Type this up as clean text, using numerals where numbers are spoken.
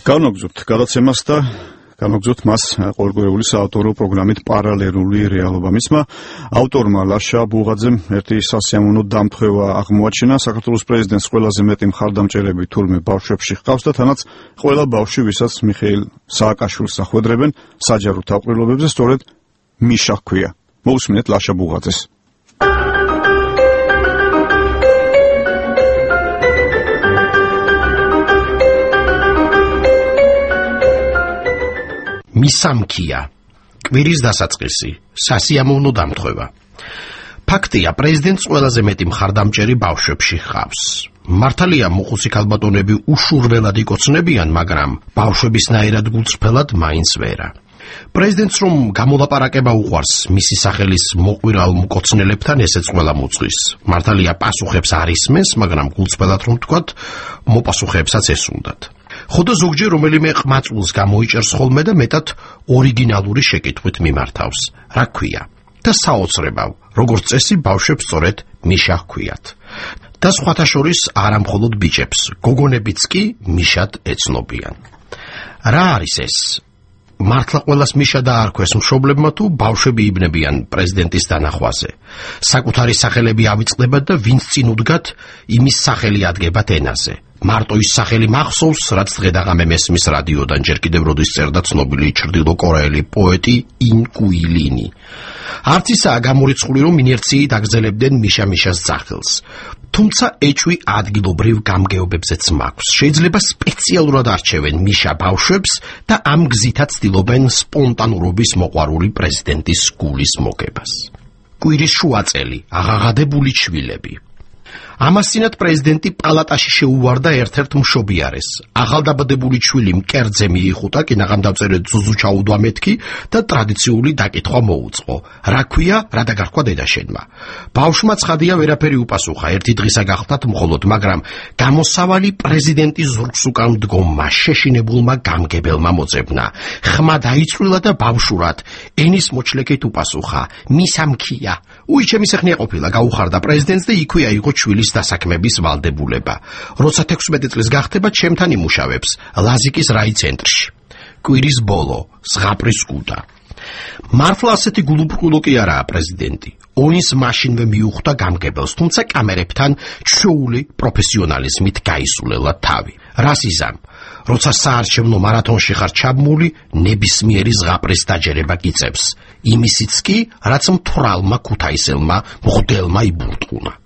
განვაგრძობთ გადაცემას და განვაგრძობთ მას ყოველკვირეული საავტორო პროგრამით პარალელური რეალობა. მისმა ავტორმა ლაშა ბუღაძემ ერთი სასიამოვნო დამთხევა აღმოაჩინა. საქართველოს პრეზიდენტს ყველაზე მეტი მხარდამჭერები თურმე ბავშვებში ჰყავს და თანაც ყველა ბავშვი, ვისაც მიხეილ სააკაშვილს ახვედრებენ საჯარო თავყრილობებზე, სწორედ მიშა ჰქვია. მოусმინეთ ლაშა ბუღაძეს. მისამქია, კვირის დასაწყისი, სასიამოვნო დამთხევა. ფაქტია, პრეზიდენტს ყველაზე მეტი მხარდამჭერი ბავშვებში ჰყავს. მართალია, მოხუცი ქალბატონები უშურველად იკოცნებიან, მაგრამ ბავშვებისნაირად გულწრფელად მაინც ვერა. პრეზიდენტს რომ გამოლაპარაკება უყვარს მისი სახელის მოყვირალ მკოცნელებთან, ესეც ყველა მოწვის. მართალია, პასუხებს არ ისმენს, მაგრამ გულწრფელად რომ ვთქვათ, მოპასუხეებსაც ესუნდათ. ხოდა ზოგჯერ რომელიმე ყმაწვილს გამოიჭერს ხოლმე და მეტად ორიგინალური შეკითხვით მიმართავს. რა ქვია? და საოცრებავ, როგორც წესი ბავშვებს სწორედ მიშა ჰქვიათ. და სხვათა შორის არა მხოლოდ ბიჭებს, გოგონებიც კი მიშად ეცნობიან. რა არის ეს? მართლა ყველას მიშა დაარქვეს მშობლებმა თუ ბავშვები იბნებიან პრეზიდენტის დანახვაზე. საკუთარი სახელები ავიწყდებათ და ვინც წინ უდგათ, იმის სახელი ადგებათ ენაზე. მარტო ის სახელი მახსოვს, რაც დღე-დაღამე მესმის რადიოდან, ჯერ კიდევ როდის წერდა ცნობილი ჩრდილოკორეელი პოეტი ინ კუილინი. არც ისაა გამორიცხული, რომ ინერციით აგრძელებდნენ მიშა-მიშას ძახილს. თუმცა ეჭვი ადგილობრივ გამგეობებზეც მაქვს. შეიძლება სპეციალურად არჩევენ მიშა ბავშვებს და ამ გზითაც ცდილობენ სპონტანურობის მოყვარული პრეზიდენტის გულის მოგებას. კვირის შუაწელი, აღაღადებული ჩვილები. ამასწინათ პრეზიდენტი პალატაში შეუვარდა ერთ-ერთ მშობიარეს. ახალდაბადებული ჩვილი მკერდზე მიიხუტა, კინაღამდავწერე ზუზუ ჩაუდვა მეთქი და ტრადიციული დაკითხვა მოუწყო. რა ქვია, რა დაგარქვა დედაშენმა. ბავშვმა ცხადია ვერაფერი უპასუხა, ერთი დღისა გახდათ მხოლოდ, მაგრამ გამოსავალი პრეზიდენტის ზურგს უკან მდგომმა, შეშინებულმა გამგებელმა მოძებნა. ხმა დაიწვილა და ბავშვურად ენის მოჩლეკით უპასუხა: მისამქია. უიჩემი სეხნია ყოფილა, გაუხარდა პრეზიდენტს და იქვე აიღო ჩვილის დასაქმების ვალდებულება. როცა 16 წლის გახდება, ჩემთან იმუშავებს ლაზიკის რაიცენტრში. კვირის ბოლო, ზღაპრის კუდა. მართლა ასეთი გულუბრყვილო კი არაა პრეზიდენტი. ონის მაშინვე მიუხვდა გამგებელს, თუმცა კამერებთან ჩვეული პროფესიონალიზმით გაისულელა თავი. რას იზამ? როცა საარჩევნო მარათონში ხარ ჩაბმული, ნებისმიერი ზღაპრის დაჯერება გიწევს. იმისიც კი, რაც მთვრალმა ქუთაისელმა მღვდელმა იბურტყუნა.